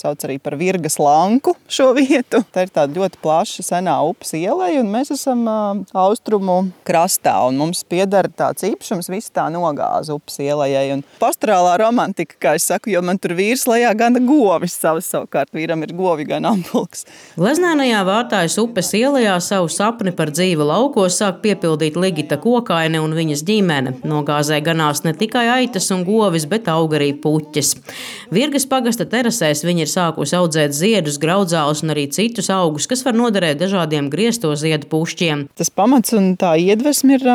sauc arī par Virgas lanku šo vietu. Tā ir tāda ļoti plaša senā upes ieleja, un mēs esam austrumu krastā, un mums pieder tāds īpašums visa tā nogāza upes ielejai. Un pastorālā romantika, kā es saku, jo man tur vīrs lejā gana govis savas, savukārt vīram ir govi gan ampulks. Gleznēnajā Vārtājas upes ielejā savu sapni par dzīvi laukos sāk piepildīt Ligita Kokaine un viņas ģimene. Nogāzē ganās ne tikai aitas un govis, bet aug arī puķes. Virgas pagasta terasēs viņa ir sākusi audzēt ziedus, graudzālus un arī citus augus, kas var noderēt dažādiem griezto ziedu pušķiem. Tas pamats un tā iedvesma ir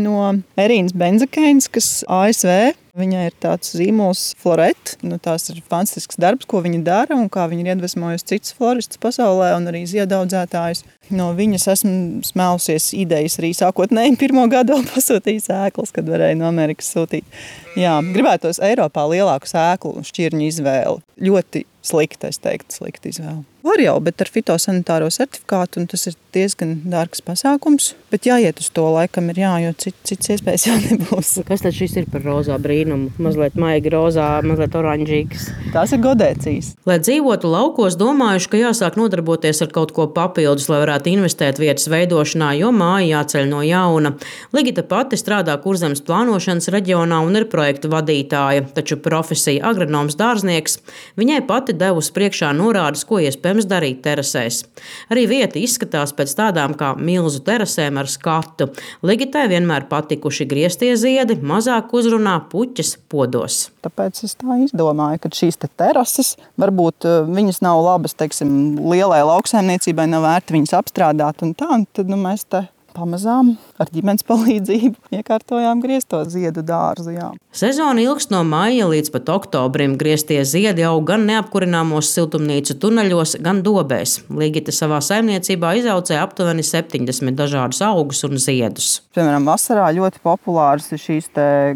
no Erīnas Benzakeinas, kas ASV. Viņai ir tāds zīmols Floret. Tās ir fantastisks darbs, ko viņa dara un kā viņa ir iedvesmojusi citus floristus pasaulē un arī ziedaudzētājus. No viņas esmu smēlusies idejas arī sākotnēji pirmo gadu vēl pasūtīju sēklas, kad varēju no Amerikas sūtīt. Jā, gribētos Eiropā lielāku sēklu šķirņu izvēli. Ļoti slikta, es teiktu, slikta izvēle. Var jau, bet ar fitosanitāro certifikātu, un tas ir diezgan dārgs pasākums, bet jāiet uz to laikam ir jo cits iespējas jau nebūs. Kas tad šis ir par rozā brīnumu? Mazliet maigi rozā, mazliet oranžīgs. Tās ir godēcijas. Lai dzīvotu laukos, domājuši, ka jāsāk nodarboties ar kaut ko papildus, lai varētu investēt vietas veidošanā, jo māja jāceļ no jauna. Ligita pati strādā Kurzemes plānošanas reģionā un ir projekta vadītāja, taču profesija agronoms dārznieks viņai pati devusi priekšā norādes, ko iespējams darīt terasēs. Arī vieta izskatās pēc tādām kā milzu terasēm ar skatu. Ligitai vienmēr patikuši grieztie ziedi, mazāk uzrunā puķes podos. Tāpēc es tā izdomāju, ka šīs terases, varbūt viņas nav labas, teiksim, lielai lauksaimniecībai, nav vērti viņas apstrādāt un tad mēs te pamazām ar ģimenes palīdzību iekārtojām griezto ziedu dārzu. Jā. Sezona ilgst no maija līdz pat oktobrim. Grieztie ziedi aug gan neapkurināmos siltumnīcu tuneļos, gan dobēs. Ligita savā saimniecībā izaudzē aptuveni 70 dažādus augus un ziedus. Piemēram, vasarā ļoti populāras ir šīs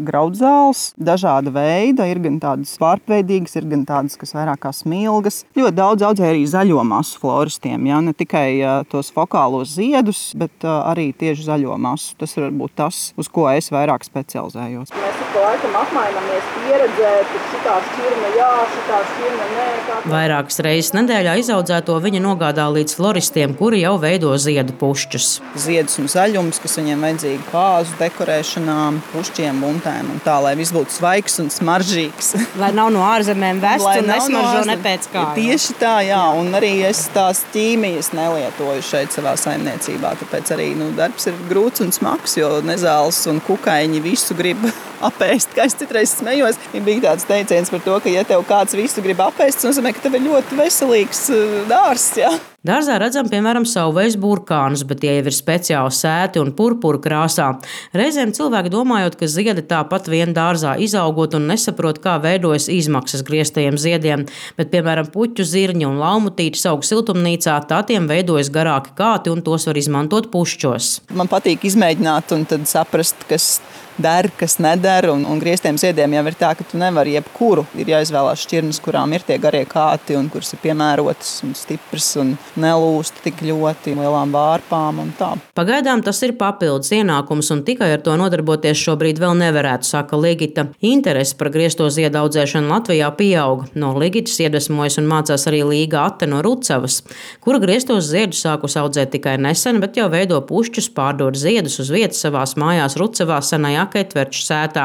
graudzāles, dažāda veida, ir gan tādas vārpveidīgas, ir gan tādas, kas vairāk kā smilgas. Ļoti daudz audzē arī zaļo masu floristiem, ne tikai tos fokālos ziedus, bet arī tieši zaļo masu. Tas ir varbūt tas, uz ko es vairāk specializējos. Mēs pa laikam apmainamies pieredzē, ka šitā šķirne jā, šitā šķirne nē. Vairākas reizes nedēļā izaudzēto viņa nogādā līdz floristiem, kuri jau veido ziedu pušķus. Ziedus un zaļums, kas viņiem vajadzīgi kāzu dekorēšanām, pušķiem, buntēm un tā, lai viss būtu svaigs un smaržīgs. Lai nav no ārzemēm vests un nesmaržo ne pēc kā. Tieši tā, jā, un arī es tās ķīmijas nelietoju šeit savā saimniecībā, tāpēc arī darbs ir grūts un smags, jo nezāles un kukaiņi visu grib apēst. Kā es citreiz smējos, bija tāds teiciens par to, ka ja tev kāds visu grib apēst, tas nozīmē, ka tev ir ļoti veselīgs dārzs. Jā. Dārzā redzam, piemēram, savvaļas burkānus, bet tie jau ir speciāli sēti un purpura krāsā. Reizēm cilvēki domājot, ka ziedi tāpat vien dārzā izaugot un nesaprot, kā veidojas izmaksas grieztajiem ziediem, bet, piemēram, puķu zirņi un laumutītis aug siltumnīcā, tā tiem veidojas garāki kāti un tos var izmantot pušķos. Man patīk izmēģināt un tad saprast, kas der, kas neder, un grieztiem ziediem jau ir tā, ka tu nevari jebkuru. Ir jāizvēlās šķirnes, kurām ir tie garie kāti un kuras ir piemērotas un stipras un nelūst tik ļoti lielām vārpām un tā. Pagaidām tas ir papildus ienākums un tikai ar to nodarboties šobrīd vēl nevarētu, saka Ligita. Interese par griezto ziedu audzēšanu Latvijā pieaug. No Ligitas iedvesmojas un mācās arī Līga Ate no Rucavas, kura grieztos ziedus sākus audzēt tikai nesen, bet jau veido pušķus, pārdod ziedus uz vietas savās mājās Rucavā senajā Ketverču sētā,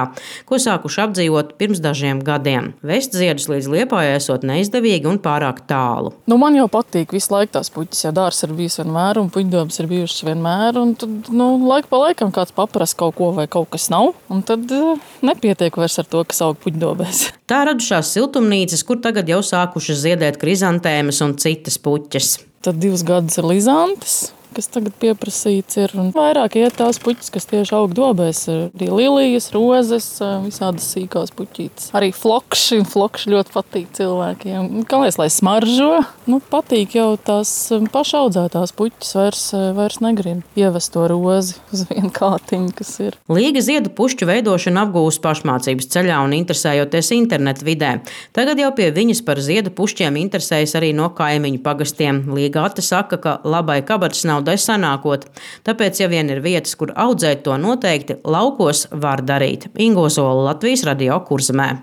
ko sākuši apdzīvot pirms dažiem gadiem. Vest ziedus līdz Liepājai esot neizdevīgi un pārāk tālu. Man jau patīk visu laiku tās puķis, jo dārs ir bijis vienmēr un puķdobas ir bijušas vienmēr. Un tad laiku pa laikam kāds paprast kaut ko vai kaut kas nav, un tad nepietiek vairs ar to, kas aug puķdobēs. Tā radušās siltumnīcas, kur tagad jau sākušas ziedēt krizantēmas un citas puķes. Tad 2 gadus ir lizantes, kas tagad pieprasīts ir. Un vairāk iet tās puķis, kas tieši aug dobēs. Arī lilijas, rozes, visādas sīkās puķītes. Arī flokši ļoti patīk cilvēkiem. Kāpēc, lai smaržo? Patīk jau tās pašaudzētās puķis vairs negrib ievest to rozi uz vienu kātiņu, kas ir. Līga ziedu pušķu veidošanu apgūst pašmācības ceļā un interesējoties internetu vidē. Tagad jau pie viņas par ziedu pušķiem interesējas arī no kaimiņu pagastiem. Līga Ate saka, ka labai kabatas naudai sanākot. Tāpēc, ja vien ir vietas, kur audzēt, to noteikti laukos var darīt. Ingo Zola, Latvijas Radio, Kurzemē.